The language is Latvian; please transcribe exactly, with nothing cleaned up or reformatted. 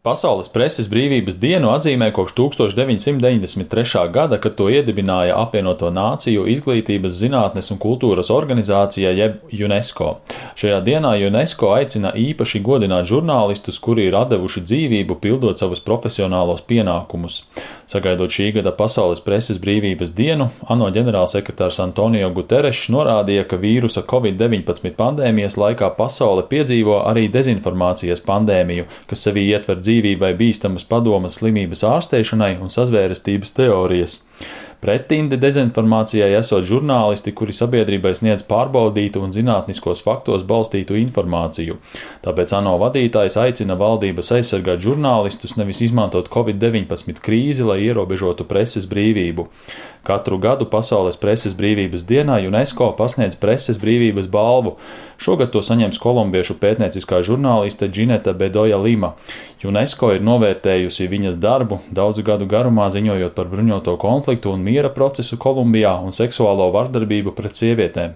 Pasaules preses brīvības dienu atzīmē kopš tūkstoš deviņsimt deviņdesmit trešā gada, kad to iedibināja Apvienoto Nāciju izglītības, zinātnes un kultūras organizācija jeb UNESCO. Šajā dienā UNESCO aicina īpaši godināt žurnālistus, kuri ir atdevuši dzīvību pildot savus profesionālos pienākumus. Sagaidot šī gada Pasaules preses brīvības dienu, ANO ģenerālsekretārs Antonio Guterešs norādīja, ka vīrusa covid deviņpadsmit pandēmijas laikā pasaule piedzīvo arī dezinformācijas pandēmiju, kas sevī ietver dzīvībai bīstamas padomas slimības ārstēšanai un sazvērestības teorijas. Pretindi dezinformācijai esot žurnālisti, kuri sabiedrībai sniedz pārbaudītu un zinātniskos faktos balstītu informāciju. Tāpēc ANO vadītājs aicina valdības aizsargāt žurnālistus, nevis izmantot covid deviņpadsmit krīzi, lai ierobežotu preses brīvību. Katru gadu Pasaules preses brīvības dienā UNESCO pasniedz preses brīvības balvu. Šogad to saņems kolumbiešu pētnieciskā žurnāliste Džineta Bedoja Lima. UNESCO ir novērtējusi viņas darbu, daudzu gadu garumā ziņojot par bruņoto konfliktu un miera procesu Kolumbijā un seksuālo vardarbību pret sievietēm.